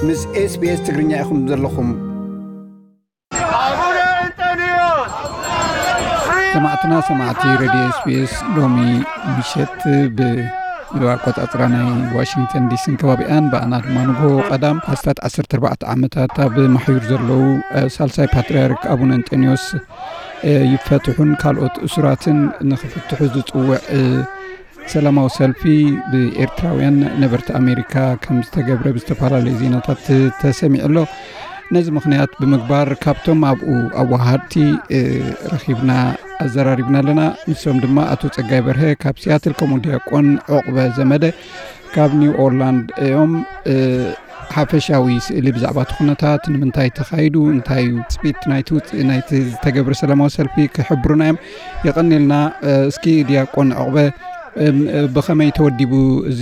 ምስ SBS ትግርኛ ኢኹም ዘለኹም። ሰማዕትና ሰማዕቲ ሬድዮ SBS፣ ሎሚ ምሸት ብ ኣቆጻጽራ ናይ ዋሽንግተን ዲሲን ከባቢኣን፣ ብኣና ድማ ንግሆ ቀዳም ኣስታት ዓሰርተ ኣርባዕተ ዓመታት ኣብ ማሕዩር ዘለዉ ሳልሳይ ፓትርያርክ ኣቡነ እንጠንዮስ ይፈትሑን ካልኦት እሱራትን ንኽፍትሑ ዝጽውዕ ሰላማዊ ሰልፊ ብኤርትራውያን ነበርቲ ኣሜሪካ ከም ዝተገብረ ብዝተፈላለዩ ዜናታት ተሰሚዑ ኣሎ። ነዚ ምኽንያት ብምግባር ካብቶም ኣብኡ ኣወሃድቲ ረኺብና ኣዘራሪብና ኣለና። ንሶም ድማ ኣቶ ጸጋይ በርሀ ካብ ሲያትል፣ ከምኡ ዲያቆን ዑቕበ ዘመደ ካብ ኒው ኦርላንድ እዮም። ሓፈሻዊ ስእሊ ብዛዕባ እቲ ኩነታት፣ ንምንታይ ተኻይዱ፣ እንታይ እዩ ትጽቢት ናይቲ ውጽ-፣ ናይቲ ዝተገብረ ሰላማዊ ሰልፊ ክሕብሩና እዮም። የቐንየልና። እስኪ ዲያቆን ዕቑበ፣ ብኸመይ ተወዲቡ እዚ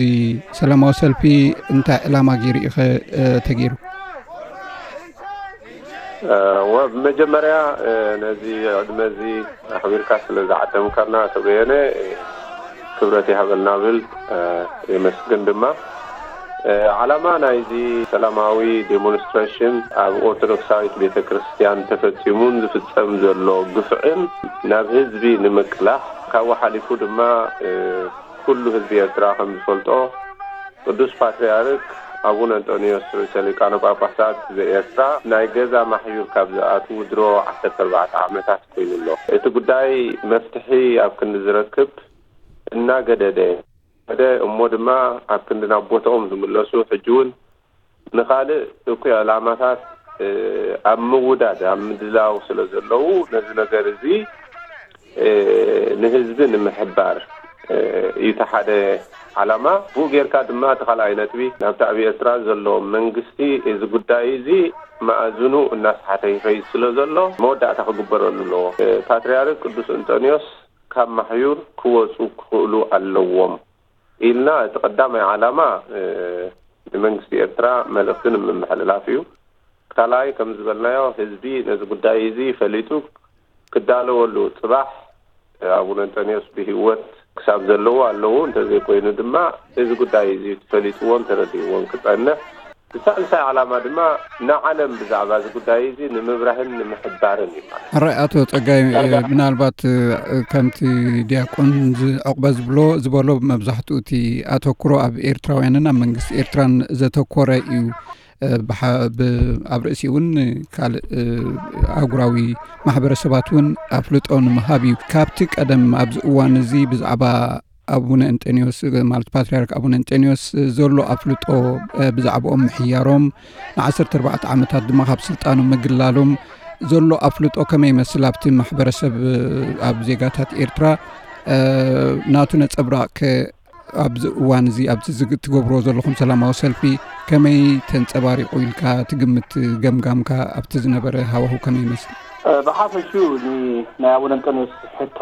ሰላማዊ ሰልፊ? እንታይ ዕላማ ገይሩ እዩ ኸ ተገይሩ? እወ፣ ብመጀመርያ ነዚ ዕድመ እዚ ኣኽቢርካ ስለ ዝዓደምካና ኣቶ በየነ ክብረት ይሃበልና ብል። የመስግን ድማ። ዓላማ ናይዚ ሰላማዊ ዴሞንስትሬሽን ኣብ ኦርቶዶክሳዊት ቤተ ክርስቲያን ተፈጺሙን ዝፍጸም ዘሎ ግፍዕን ናብ ህዝቢ ንምቅላሕ፣ ካብኡ ሓሊፉ ድማ ኩሉ ህዝቢ ኤርትራ ከም ዝፈልጦ ቅዱስ ፓትርያርክ ኣቡነ እንጦንዮስ ርእሰ ሊቃነ ጳጳሳት ዘኤርትራ ናይ ገዛ ማሕዩር ካብ ዝኣትዉ ድሮ ዓሰርተ ኣርባዕተ ዓመታት ኮይኑ ኣሎ። እቲ ጉዳይ መፍትሒ ኣብ ክንዲ ዝረክብ እናገደደ፣ ገደ እሞ ድማ ኣብ ክንዲ ናብ ቦታኦም ዝምለሱ፣ ሕጂ እውን ንኻልእ እኩይ ዕላማታት ኣብ ምውዳድ ኣብ ምድላው ስለ ዘለዉ፣ ነዚ ነገር እዚ ንህዝቢ ንምሕባር እዩ እቲ ሓደ ዓላማ። ብኡ ጌርካ ድማ እቲ ካልኣይ ነጥቢ ናብቲ ኣብ ኤርትራ ዘሎ መንግስቲ እዚ ጉዳይ እዚ መኣዝኑ እናስሓተ ይኸይድ ስለ ዘሎ መወዳእታ ክግበረሉ ኣለዎ። ፓትርያርክ ቅዱስ እንጠንዮስ ካብ ማሕዩር ክወፁ ክኽእሉ ኣለዎም ኢልና እቲ ቀዳማይ ዓላማ ንመንግስቲ ኤርትራ መልእኽቲ ንምምሕልላፍ እዩ። ካልኣይ ከም ዝበልናዮ ህዝቢ ነዚ ጉዳይ እዚ ፈሊጡ ክዳለወሉ፣ ጽባሕ ኣቡነ እንጠንዮስ ብህይወት ክሳብ ዘለዉ ኣለዉ፣ እንተዘይኮይኑ ድማ እዚ ጉዳይ እዚ ፈሊጥዎን ተረዲእዎን ክጸንሕ፣ ብሳልሳይ ዓላማ ድማ ንዓለም ብዛዕባ እዚ ጉዳይ እዚ ንምብራህን ንምሕባርን እዩ ማለት እዩ። ሕራይ ኣቶ ጸጋይ፣ ምናልባት ከምቲ ዲያቆን ዝዕቕበ ዝብሎ ዝበሎ መብዛሕትኡ እቲ ኣተኩሮ ኣብ ኤርትራውያንን ኣብ መንግስቲ ኤርትራን ዘተኮረ እዩ። ኣብ ርእሲኡ እውን ካልእ ኣህጉራዊ ማሕበረሰባት እውን ኣፍልጦ ንምሃብ እዩ። ካብቲ ቀደም ኣብዚ እዋን እዚ ብዛዕባ ኣቡነ እንጠንዮስ ማለት ፓትርያርክ ኣቡነ እንጠንዮስ ዘሎ ኣፍልጦ ብዛዕባኦም ምሕያሮም ንዓሰርተ ኣርባዕተ ዓመታት ድማ ካብ ስልጣኑ ምግላሎም ዘሎ ኣፍልጦ ከመይ ይመስል ኣብቲ ማሕበረሰብ ኣብ ዜጋታት ኤርትራ ናቱ ነጸብራቕ ከ ኣብዚ እዋን እዚ ኣብዚ ትገብርዎ ዘለኹም ሰላማዊ ሰልፊ ከመይ ተንጸባሪቑ ኢልካ ትግምት? ገምጋምካ ኣብቲ ዝነበረ ሃዋሁ ከመይ ይመስል? ብሓፈሽኡ ናይ ኣቡነ እንጠንዮስ ሕቶ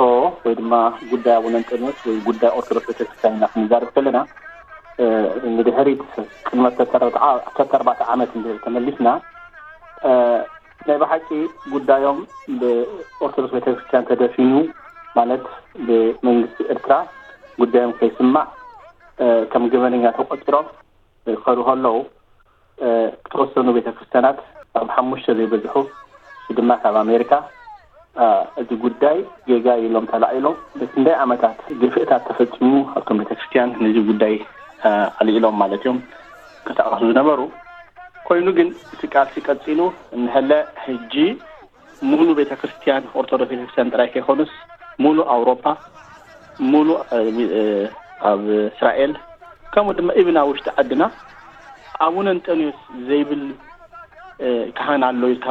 ወይ ድማ ጉዳይ ኣቡነ እንጠንዮስ ወይ ጉዳይ ኦርቶዶክስ ቤተክርስትያን ኢና ክንዛረብ ከለና ንድሕሪት ቅድሚ ዓሰርተ ኣርባዕተ ዓመት እንድሕር ተመሊስና ናይ ብሓቂ ጉዳዮም ብኦርቶዶክስ ቤተክርስትያን ተደፊኑ ማለት ብመንግስቲ ኤርትራ ጉዳዮም ከይስማዕ ከም ገበነኛ ተቆፂሮም ክኸዱ ከለዉ ዝተወሰኑ ቤተክርስትያናት ካብ ሓሙሽተ ዘይበዝሑ እሱ ድማ ካብ ኣሜሪካ እዚ ጉዳይ ጌጋ ኢሎም ተላዒሎም በቲ ክንደይ ዓመታት ግፍእታት ተፈፂሙ ኣብቶም ቤተክርስትያን ነዚ ጉዳይ ኣልዒሎም ማለት እዮም ከጣቐሱ ዝነበሩ። ኮይኑ ግን እቲ ቃልሲ ቀፂሉ እንሀለ ሕጂ ሙሉ ቤተክርስትያን ኦርቶዶክስ ቤተክርስትያን ጥራይ ከይኮኑስ ሙሉ ኣውሮፓ፣ ሙሉ ኣብ እስራኤል ከምኡ ድማ ኢብን ኣብ ውሽጢ ዓድና ኣቡነ እንጠንዮስ ዘይብል ካህን ኣሎ ኢልካ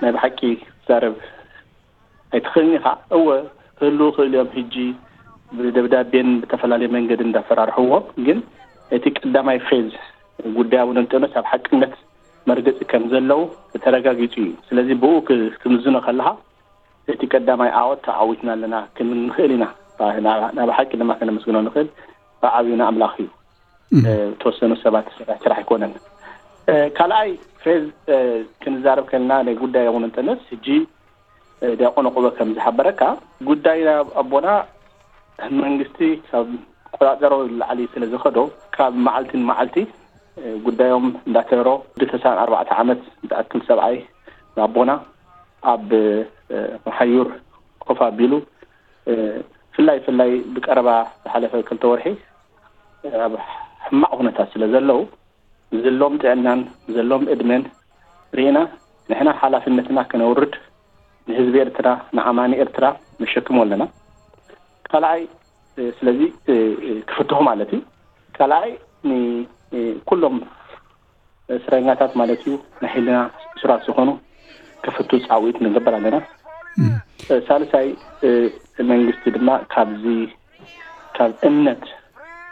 ናይ ብሓቂ ትዛረብ ኣይትኽእልን ኢኻ። እወ ክህልዉ ክእል እዮም። ሕጂ ብደብዳቤን ብተፈላለየ መንገዲ እንዳፈራርሕዎም ግን እቲ ቀዳማይ ፌዝ ጉዳይ ኣቡነ እንጠንዮስ ኣብ ሓቅነት መርገጺ ከም ዘለዉ ተረጋጊጹ እዩ። ስለዚ ብኡ ክምዝኖ ከለኻ እቲ ቀዳማይ ዓወት ተዓዊትና ኣለና ክንብል ንኽእል ኢና። ናብ ሓቂ ድማ ከነመስግኖ ንኽእል ብዓብዩ ንኣምላኽ እዩ። ተወሰኑ ሰባት ዝሰርሕ ስራሕ ኣይኮነን። ካልኣይ ፌዝ ክንዛረብ ከለና ናይ ጉዳይ ኣቡነ እንጠንዮስ ሕጂ ዲያቆን ዕቁበ ከም ዝሓበረካ ጉዳይ ኣቦና መንግስቲ ካብ ቆጻጸሮ ንላዕሊ ስለ ዝኸዶ ካብ መዓልቲ ንመዓልቲ ጉዳዮም እንዳተረሮ፣ ወዲ ተስዓን ኣርባዕተ ዓመት ዝኣክል ሰብኣይ ኣቦና ኣብ መሓዩር ኮፍ ኣቢሉ፣ ፍላይ ፍላይ ብቀረባ ዝሓለፈ ክልተ ወርሒ ኣብ ሕማቕ ኩነታት ስለ ዘለዉ፣ ዝሎም ጥዕናን ዘሎም እድመን ርኢና፣ ንሕና ሓላፍነትና ከነውርድ፣ ንህዝቢ ኤርትራ፣ ንኣማኒ ኤርትራ ነሸክሞ ኣለና። ካልኣይ፣ ስለዚ ክፍትሑ ማለት እዩ። ካልኣይ፣ ንኩሎም እስረኛታት ማለት እዩ፣ ናይ ህልና እሱራት ዝኾኑ ክፍቱ ጻውዒት ንገብር ኣለና። ሳልሳይ፣ መንግስቲ ድማ ካብዚ ካብ እምነት፣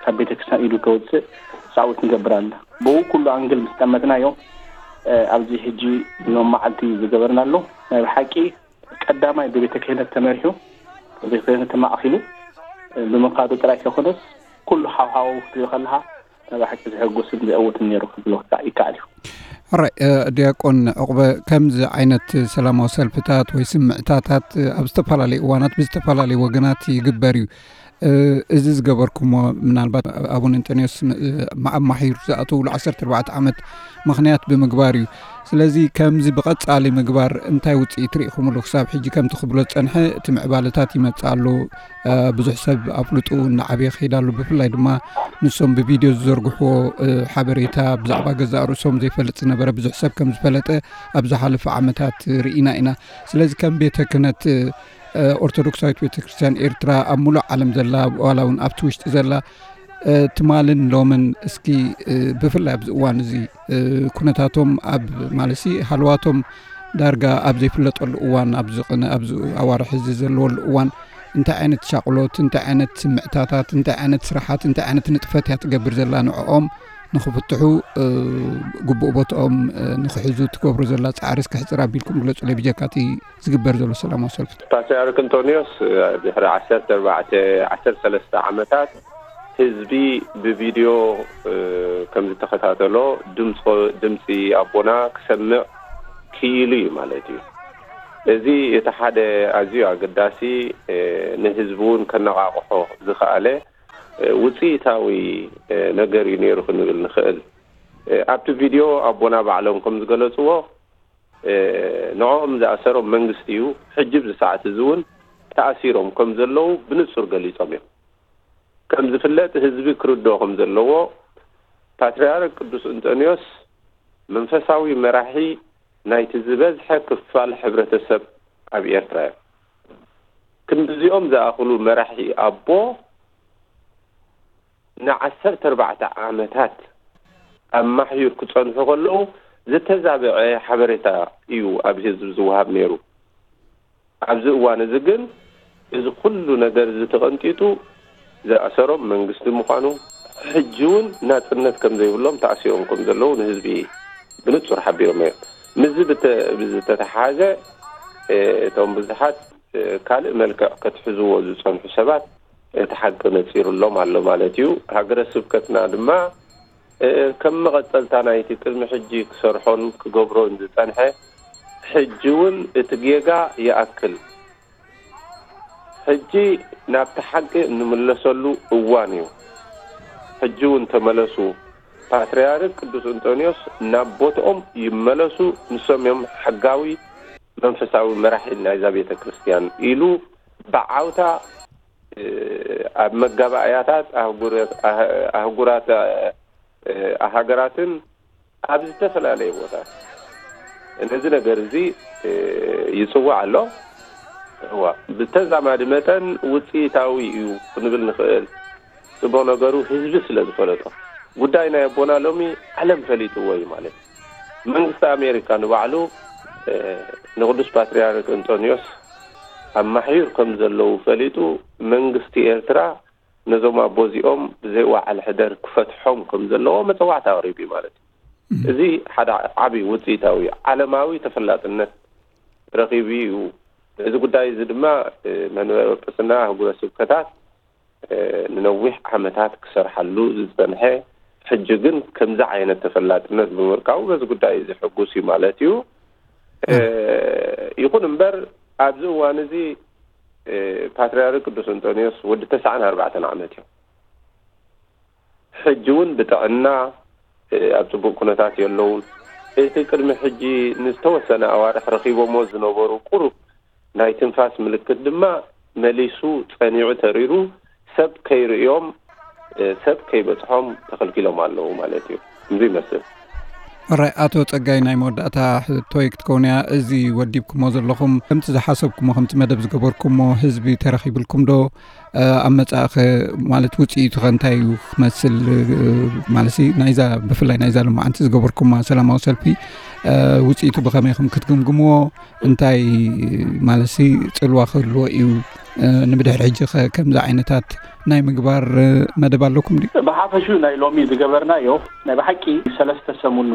ካብ ቤተክርስትያን ኢዱ ከውፅእ ጻውዒት ንገብር ኣለና። ብኡ ኩሉ ኣንግል ምስ ጠመትናዮ፣ ኣብዚ ሕጂ ሎም መዓልቲ ዝገበርናሉ ናይ ብሓቂ ቀዳማይ ብቤተ ክህነት ተመሪሑ፣ ብቤተ ክህነት ተማእኪሉ ብምኻዱ ጥራይ ከይኮነስ፣ ኩሉ ሃዋህው ክትሪኦ ከለኻ፣ ናይ ብሓቂ ዘሐጉስን ዘእውትን ነይሩ ክብሎ ይከኣል እዩ። ሕራይ፣ ዲያቆን ዕቑበ፣ ከምዚ ዓይነት ሰላማዊ ሰልፍታት ወይ ስምዕታታት ኣብ ዝተፈላለዩ እዋናት ብዝተፈላለዩ ወገናት ይግበር እዩ። እዚ ዝገበርኩሞ፣ ምናልባት ኣቡነ እንጠንዮስ ኣማሒሩ ዝኣተውሉ ዓሰርተ ኣርባዕተ ዓመት ምኽንያት ብምግባር እዩ። ስለዚ ከምዚ ብቐጻሊ ምግባር እንታይ ውጽኢት ርኢኹምሉ? ክሳብ ሕጂ ከምቲ ክብሎ ዝጸንሐ፣ እቲ ምዕባለታት ይመጽእ ኣሎ። ብዙሕ ሰብ ኣፍልጡ እናዓበየ ክኸይድ ኣሎ። ብፍላይ ድማ ንሶም ብቪድዮ ዝዘርግሕዎ ሓበሬታ፣ ብዛዕባ ገዛእ ርእሶም ዘይፈልጥ ዝነበረ ብዙሕ ሰብ ከም ዝፈለጠ ኣብ ዝሓለፈ ዓመታት ርኢና ኢና። ስለዚ ከም ቤተ ክህነት ኦርቶዶክሳዊት ቤተ ክርስቲያን ኤርትራ ኣብ ሙሉእ ዓለም ዘላ፣ ዋላ እውን ኣብቲ ውሽጢ ዘላ፣ ትማልን ሎምን፣ እስኪ ብፍላይ ኣብዚ እዋን እዚ ኩነታቶም ኣብ፣ ማለትሲ ሃልዋቶም ዳርጋ ኣብ ዘይፍለጠሉ እዋን፣ ኣብዚ ቅነ ኣብዚ ኣዋርሕ እዚ ዘለወሉ እዋን፣ እንታይ ዓይነት ሻቕሎት፣ እንታይ ዓይነት ስምዕታታት፣ እንታይ ዓይነት ስራሓት፣ እንታይ ዓይነት ንጥፈት እያ ትገብር ዘላ ንዕኦም ንኽፍትሑ፣ ግቡእ ቦትኦም ንኽሕዙ ትገብሮ ዘላ ጻዕሪ እስኪ ሕጽር ኣቢልኩም ግለጹለይ፣ ብጀካ እቲ ዝግበር ዘሎ ሰላማዊ ሰልፊ? ፓትርያርክ እንጦንዮስ ድሕሪ ዓሰርተ ኣርባዕተ፣ ዓሰርተ ሰለስተ ዓመታት ህዝቢ ብቪድዮ ከም ዝተኸታተሎ ድምፂ ኣቦና ክሰምዕ ክኢሉ እዩ ማለት እዩ። እዚ እቲ ሓደ ኣዝዩ ኣገዳሲ፣ ንህዝቢ እውን ከነቓቕሖ ዝኸኣለ ውፅኢታዊ ነገር እዩ ነይሩ ክንብል ንኽእል። ኣብቲ ቪድዮ ኣቦና ባዕሎም ከም ዝገለፅዎ፣ ንዕኦም ዝኣሰሮም መንግስቲ እዩ። ሕጂ ኣብዚ ሰዓት እዚ እውን ተኣሲሮም ከም ዘለዉ ብንጹር ገሊጾም እዮም። ከም ዝፍለጥ፣ ህዝቢ ክርድኦ ከም ዘለዎ፣ ፓትርያርክ ቅዱስ እንጦንዮስ መንፈሳዊ መራሒ ናይቲ ዝበዝሐ ክፋል ሕብረተሰብ ኣብ ኤርትራ እዮም። ክንድዚኦም ዝኣኽሉ መራሒ ኣቦ ንዓሰርተ ኣርባዕተ ዓመታት ኣብ ማሕዩር ክጸንሑ ከለዉ ዝተዛበዐ ሓበሬታ እዩ ኣብ ህዝቢ ዝወሃብ ነይሩ። ኣብዚ እዋን እዚ ግን እዚ ኩሉ ነገር እዚ ተቐንጢጡ ዝኣሰሮም መንግስቲ ምዃኑ፣ ሕጂ እውን ናጽነት ከም ዘይብሎም ተኣሲሮም ከም ዘለዉ ንህዝቢ ብንጹር ሓቢሮም እዮም። ምስዚ ብተ-፣ ብዝተተሓሓዘ፣ እ፣ እቶም ብዙሓት፣ እ፣ ካልእ መልክዕ ከትሕዝዎ ዝጸንሑ ሰባት እቲ ሓቂ ነጺሩሎም ኣሎ ማለት እዩ። ሃገረ ስብከትና ድማ፣ እ፣ ከም መቐጸልታ ናይቲ ቅድሚ ሕጂ ክሰርሖን ክገብሮን ዝጸንሐ፣ ሕጂ እውን እቲ ጌጋ ይኣክል፣ ሕጂ ናብቲ ሓቂ እንምለሰሉ እዋን እዩ። ሕጂ እውን ተመለሱ፣ ፓትርያርክ ቅዱስ እንጦንዮስ ናብ ቦትኦም ይመለሱ፣ ንሶም እዮም ሕጋዊ መንፈሳዊ መራሒ ናይዛ ቤተ ክርስቲያን ኢሉ ብዓውታ፣ እ፣ ኣብ መጋባእያታት ኣህጉረ-፣ ኣህ-፣ ኣህጉራት፣ እ፣ ሃገራትን ኣብ ዝተፈላለየ ቦታ ነዚ ነገር እዚ፣ እ፣ ይጽዋዕ ኣሎ። እዋ፣ ብተዛማዲ መጠን ውጽኢታዊ እዩ ክንብል ንኽእል። ጽቡቕ ነገሩ ህዝቢ ስለ ዝፈለጦ። ጉዳይ ናይ ኣቦና ሎሚ ዓለም ፈሊጥዎ እዩ ማለት እዩ። መንግስቲ ኣሜሪካ ንባዕሉ፣ እ፣ ንቅዱስ ፓትርያርክ እንጦንዮስ ኣማሕዩር ከም ዘለዉ ፈሊጡ፣ መንግስቲ ኤርትራ ነዞም ኣቦ እዚኦም ብዘይ ዋዕል ሕደር ክፈትሖም ከም ዘለዎ መጸዋዕታ ኣቕሪቡ እዩ ማለት እዩ። እም። እዚ ሓደ ዓቢ ውጽኢታዊ ዓለማዊ ተፈላጥነት ረኺቡ እዩ። እዚ ጉዳይ እዚ ድማ፣ እ፣ መንበረ ጵጵስና ኣህጉረ ስብከታት፣ እ፣ ንነዊሕ ዓመታት ክሰርሓሉ ዝጸንሐ፣ ሕጂ ግን ከምዚ ዓይነት ተፈላጥነት ብምርካቡ በዚ ጉዳይ እዚ ሕጉስ እዩ ማለት እዩ። እ፣ ይኹን እምበር ኣብዚ እዋን እዚ፣ እ፣ ፓትርያርክ ቅዱስ እንጦንዮስ ወዲ ተስዓን ኣርባዕተን ዓመት እዮም። ሕጂ እውን ብጥዕና ኣብ ጽቡቕ ኩነታት የለውን። እቲ ቅድሚ ሕጂ ንዝተወሰነ ኣዋርሕ ረኺቦሞ ዝነበሩ ቁሩብ ናይ ትንፋስ ምልክት ድማ መሊሱ ጸኒዑ ተሪሩ፣ ሰብ ከይርእዮም፣ ሰብ ከይበጽሖም ተኸልኪሎም ኣለዉ ማለት እዩ። እንዙ ይመስል። ራይ ኣቶ ጸጋይ፣ ናይ መወዳእታ ሕቶይ ክትከውን እያ። እዚ ወዲብኩሞ ዘለኹም ከምቲ ዝሓሰብኩሞ፣ ከምቲ መደብ ዝገበርኩሞ ህዝቢ ተረኺብልኩም ዶ? ኣብ መጻእኸ ማለት ውጽኢቱ ከ እንታይ እዩ ክመስል? ማለት ናይዛ፣ ብፍላይ ናይዛ ሎማዓንቲ ዝገበርኩማ ሰላማዊ ሰልፊ ውጽኢቱ ብኸመይ ኢኹም ክትግምግምዎ? እንታይ ማለት ጽልዋ ክህልዎ እዩ? ንብድሕሪ ሕጂ ከ ከምዚ ዓይነታት ናይ ምግባር መደብ ኣለኩም ድዩ? ብሓፈሹ ናይ ሎሚ ዝገበርናዮ ናይ ብሓቂ ሰለስተ ሰሙን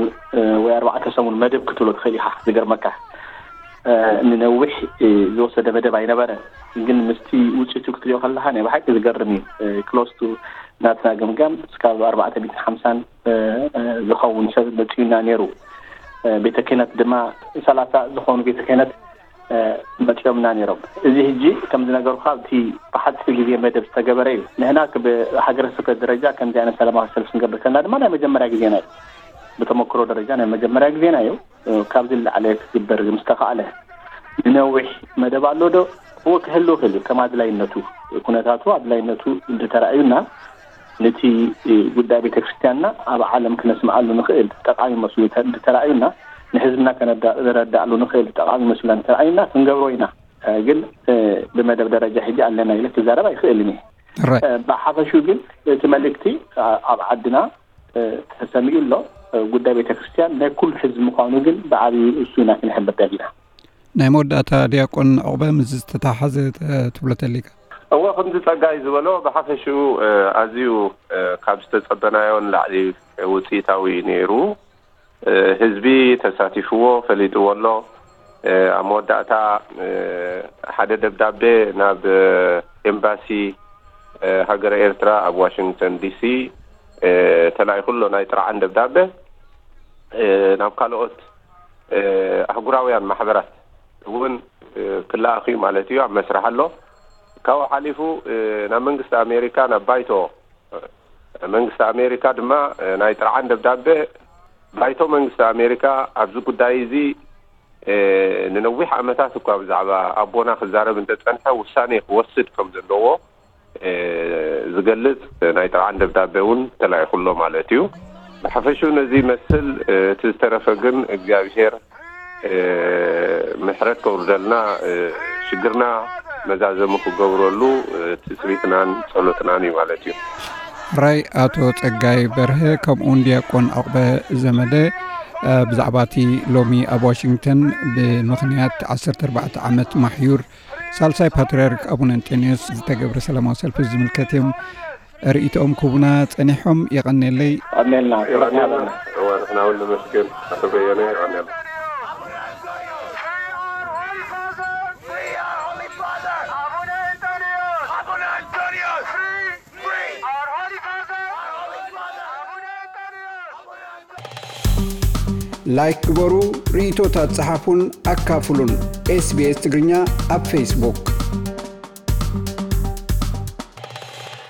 ወይ ኣርባዕተ ሰሙን መደብ ክትብሎ ትኽእል ኢኻ። ዝገርመካ ንነዊሕ ዝወሰደ መደብ ኣይነበረን፣ ግን ምስቲ ውፅኢቱ ክትሪኦ ከለካ ናይ ብሓቂ ዝገርም እዩ። ክሎስቱ ናትና ገምጋም እስካብ ኣርባዕተ ሚእትን ሓምሳን ዝኸውን ሰብ መፅዩና ነይሩ። ቤተ ክህነት ድማ ሰላሳ ዝኾኑ ቤተ ክህነት መፅዮምና ነይሮም። እዚ ሕጂ ከም ዝነገርኩካ ኣብቲ ብሓፂር ግዜ መደብ ዝተገበረ እዩ። ንሕና ብሃገረ ስብከት ደረጃ ከምዚ ዓይነት ሰላማዊ ሰልፍ ክንገብር ከለና ድማ ናይ መጀመርያ ግዜና እዩ። ብተመክሮ ደረጃ ናይ መጀመርያ ግዜና እዩ። ካብዚ ንላዕሊ ክግበር ምስ ተኻእለ፣ ንነዊሕ መደብ ኣሎ ዶ? እወ፣ ክህሉ ይኽእል እዩ። ከም ኣድላይነቱ፣ ኩነታቱ ኣድላይነቱ እንተተራእዩና፣ ነቲ ጉዳይ ቤተክርስትያንና ኣብ ዓለም ክነስምዓሉ ንኽእል ጠቓሚ መስሉ እንተተራእዩና፣ ንህዝብና ከነረዳእሉ ንኽእል ጠቓሚ መስሉና እንተራእዩና ክንገብሮ ኢና። ግን ብመደብ ደረጃ ሕጂ ኣለና ኢለ ክዛረብ ኣይኽእልን እየ። ብሓፈሹ ግን እቲ መልእክቲ ኣብ ዓድና ተሰሚዑ ኣሎ። ጉዳይ ቤተክርስትያን ናይ ኩሉ ህዝቢ ምዃኑ ግን ብዓብዩ እሱ ኢና ክንሕብር ደሊና። ናይ መወዳእታ ዲያቆን ዑቕበ፣ ምስ ዝተተሓሓዘ ትብሎ ተሊካ? እወ፣ ከምዚ ጸጋይ ዝበሎ ብሓፈሽኡ ኣዝዩ ካብ ዝተጸበናዮ ንላዕሊ ውጽኢታዊ እዩ ነይሩ። ህዝቢ ተሳቲፍዎ፣ ፈሊጥዎ ኣሎ። ኣብ መወዳእታ ሓደ ደብዳቤ ናብ ኤምባሲ ሃገረ ኤርትራ ኣብ ዋሽንግተን ዲሲ ተላኢኹ ኣሎ፣ ናይ ጥርዓን ደብዳቤ ናብ ካልኦት ኣህጉራውያን ማሕበራት እውን ክለኣኽ እዩ ማለት እዩ። ኣብ መስርሕ ኣሎ። ካብኡ ሓሊፉ ናብ መንግስቲ ኣሜሪካ፣ ናብ ባይቶ መንግስቲ ኣሜሪካ ድማ ናይ ጥርዓን ደብዳቤ፣ ባይቶ መንግስቲ ኣሜሪካ ኣብዚ ጉዳይ እዚ ንነዊሕ ዓመታት እኳ ብዛዕባ ኣቦና ክዛረብ እንተጸንሐ፣ ውሳኔ ክወስድ ከም ዘለዎ ዝገልጽ ናይ ጥርዓን ደብዳቤ እውን ተላኢኹ ኣሎ ማለት እዩ። ብሓፈሽኡ ነዚ ይመስል። እቲ ዝተረፈ ግን እግዚኣብሄር ምሕረት ከውርደልና፣ ሽግርና መዛዘሙ ክገብረሉ ትጽቢትናን ጸሎትናን እዩ ማለት እዩ። ራይ ኣቶ ጸጋይ በርሀ፣ ከምኡውን ዲያቆን ዑቕበ ዘመደ፣ ብዛዕባ እቲ ሎሚ ኣብ ዋሽንግተን ብምኽንያት ዓሰርተ ኣርባዕተ ዓመት ማሕዩር ሳልሳይ ፓትርያርክ ኣቡነ እንጠንዮስ ዝተገብረ ሰላማዊ ሰልፊ ዝምልከት እዮም ርእይቶኦም ክህቡና ጸኒሖም። የቐንየለይ። ቀኒልና። እዋ፣ ንሕና እውን ነመስግን ኣቶ በየነ። የቐንየልና። ላይክ ግበሩ፣ ርእይቶታት ጸሓፉን ኣካፍሉን። ኤስቢኤስ ትግርኛ ኣብ ፌስቡክ።